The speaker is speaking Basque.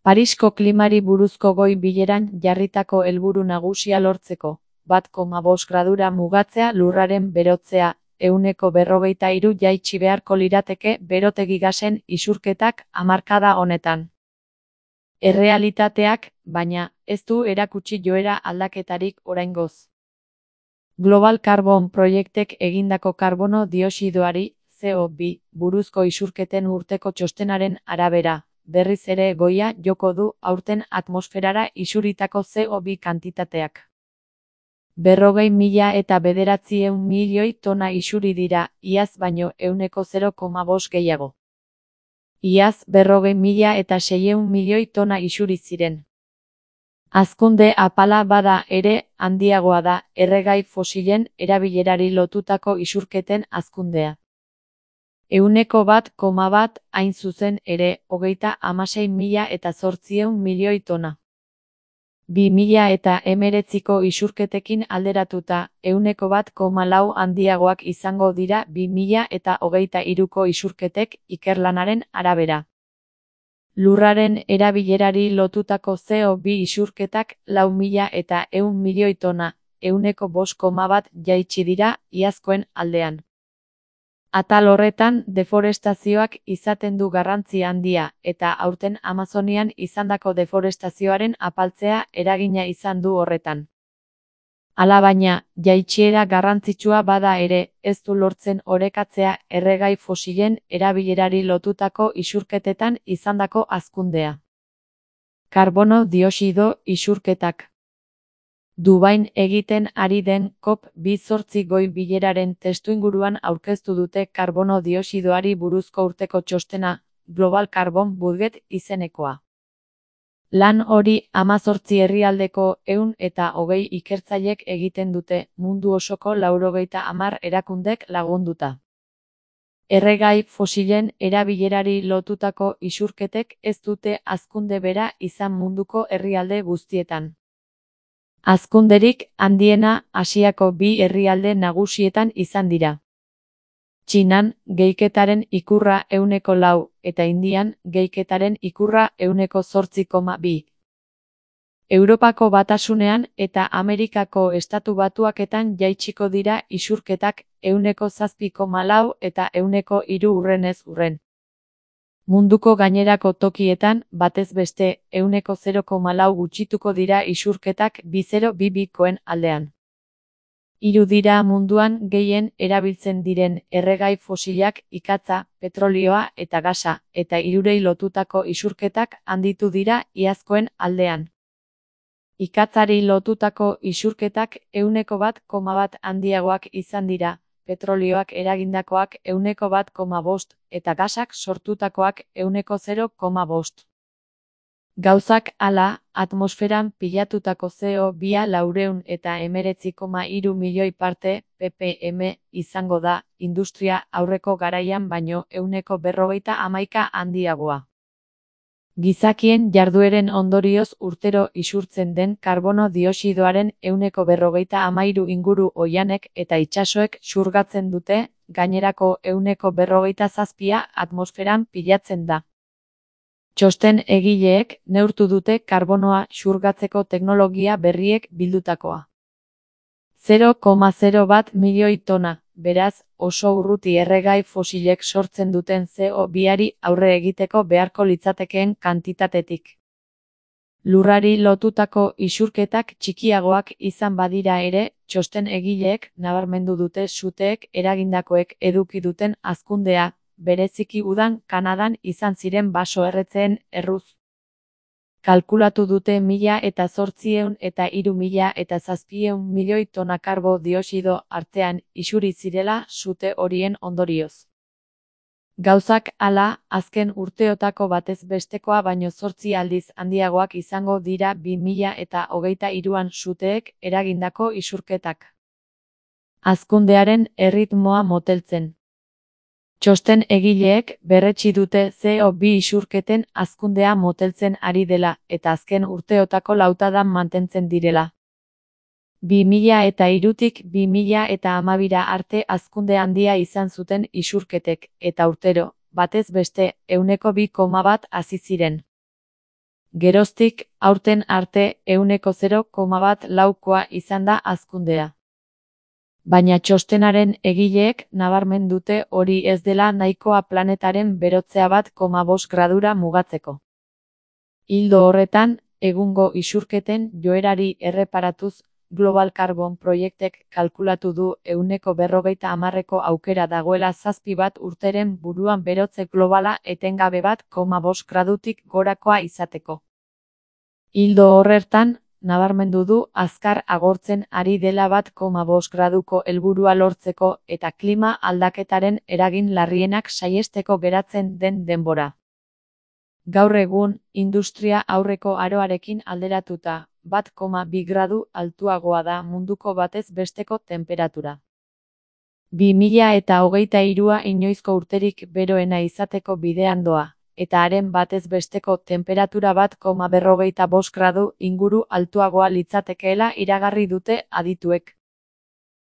Parisko klimari buruzko goi bileran jarritako helburu nagusia lortzeko, 1,5 gradura mugatzea lurraren berotzea, 43 jaitsi beharko lirateke berotegi gasen isurketak hamarkada honetan. Errealitateak, baina, ez du erakutsi joera aldaketarik oraingoz. Global Carbon Projectek egindako karbono dioxidoari, CO2, buruzko isurketen urteko txostenaren arabera, berriz ere goia joko du aurten atmosferara isuritako CO2 kantitateak. 40.000 milioi tona isuri dira, iaz baino 0,5 gehiago. Iaz 40.600 milioi tona isuri ziren. Hazkunde apala bada ere, handiagoa da erregai fosilen erabilerari lotutako isurketen hazkundea. 1,1 hain zuzen ere, 36.800 milioi tona. 2019ko isurketekin alderatuta, 1,4 handiagoak izango dira 2023ko isurketek ikerlanaren arabera. Lurraren erabilerari lotutako CO2 isurketak 4.100 milioi tona, 5,1 jaitsi dira iazkoen aldean. Atal horretan deforestazioak izaten du garrantzi handia, eta aurten Amazonian izandako deforestazioaren apaltzea eragina izan du horretan. Alabaina, jaitsiera garrantzitsua bada ere, ez du lortzen orekatzea erregai fosilen erabilerari lotutako isurketetan izandako hazkundea. Karbono dioxido isurketak. Dubain egiten ari den COP28 goi bileraren testuinguruan aurkeztu dute karbono dioxidoari buruzko urteko txostena, Global Carbon Budget izenekoa. Lan hori 18 herrialdeko 120 ikertzailek egiten dute, mundu osoko 90 erakundek lagunduta. Erregai fosilen erabilerari lotutako isurketek ez dute hazkunde bera izan munduko herrialde guztietan. Hazkunderik handiena Asiako 2 herrialde nagusietan izan dira. Txinan, gehiketaren ikurra 4, eta Indian, gehiketaren ikurra 8,2. Europako Batasunean eta Amerikako Estatu Batuaketan jaitsiko dira isurketak 7,4 eta 3 urrenez urren. Munduko gainerako tokietan, batez beste, 0,4 gutxituko dira isurketak 2022koen aldean. 3 dira munduan gehien erabiltzen diren erregai fosilak ikatza, petrolioa eta gasa, eta 3 lotutako isurketak handitu dira iazkoen aldean. Ikatzari lotutako isurketak 1,1 handiagoak izan dira, petrolioak eragindakoak 1,5 eta gasak sortutakoak 0,5. Gauzak hala, atmosferan pilatutako CO2 419,3 milioi parte, ppm, izango da, industria aurreko garaian baino 151 handiagoa. Gizakien jardueren ondorioz urtero isurtzen den karbono dioxidoaren 153 inguru oihanek eta itsasoek xurgatzen dute, gainerako 157 atmosferan pilatzen da. Txosten egileek neurtu dute karbonoa xurgatzeko teknologia berriek bildutakoa. 0,01 milioi tona, beraz, oso urruti erregai fosilek sortzen duten CO2ari aurre egiteko beharko litzatekeen kantitatetik. Lurrari lotutako isurketak txikiagoak izan badira ere, txosten egileek nabarmendu dute suteek eragindakoek eduki duten hazkundea, bereziki udan Kanadan izan ziren baso-erretzeen erruz. Kalkulatu dute 1.800 eta 3.700 milioi tona karbo dioxido artean isuri zirela sute horien ondorioz. Gauzak hala, azken urteotako batez bestekoa baino 8 aldiz handiagoak izango dira 2023an suteek eragindako isurketak. Hazkundearen erritmoa moteltzen. Txosten egileek berretsi dute CO2 isurketen hazkundea moteltzen ari dela eta azken urteotako lautadan mantentzen direla. 2003tik 2012 arte hazkunde handia izan zuten isurketek, eta urtero, batez beste, 2,1 hazi ziren. Geroztik, aurten arte 0,1 izan da hazkundea. Baina txostenaren egileek nabarmen dute hori ez dela nahikoa planetaren berotzea 1,5 gradura mugatzeko. Ildo horretan, egungo isurketen joerari erreparatuz, Global Carbon Projectek kalkulatu du 50% aukera dagoela 7 urteren buruan berotze globala etengabe 1,5 gradutik gorakoa izateko. Ildo horretan, nabarmendu du azkar agortzen ari dela 1,5 graduko helburua lortzeko eta klima aldaketaren eragin larrienak saihesteko geratzen den denbora. Gaur egun, industria aurreko aroarekin alderatuta, 1,2 gradu altuagoa da munduko batez besteko tenperatura. 2023a inoizko urterik beroena izateko bidean doa, eta haren batez besteko tenperatura 1,25 gradu inguru altuagoa litzatekeela iragarri dute adituek.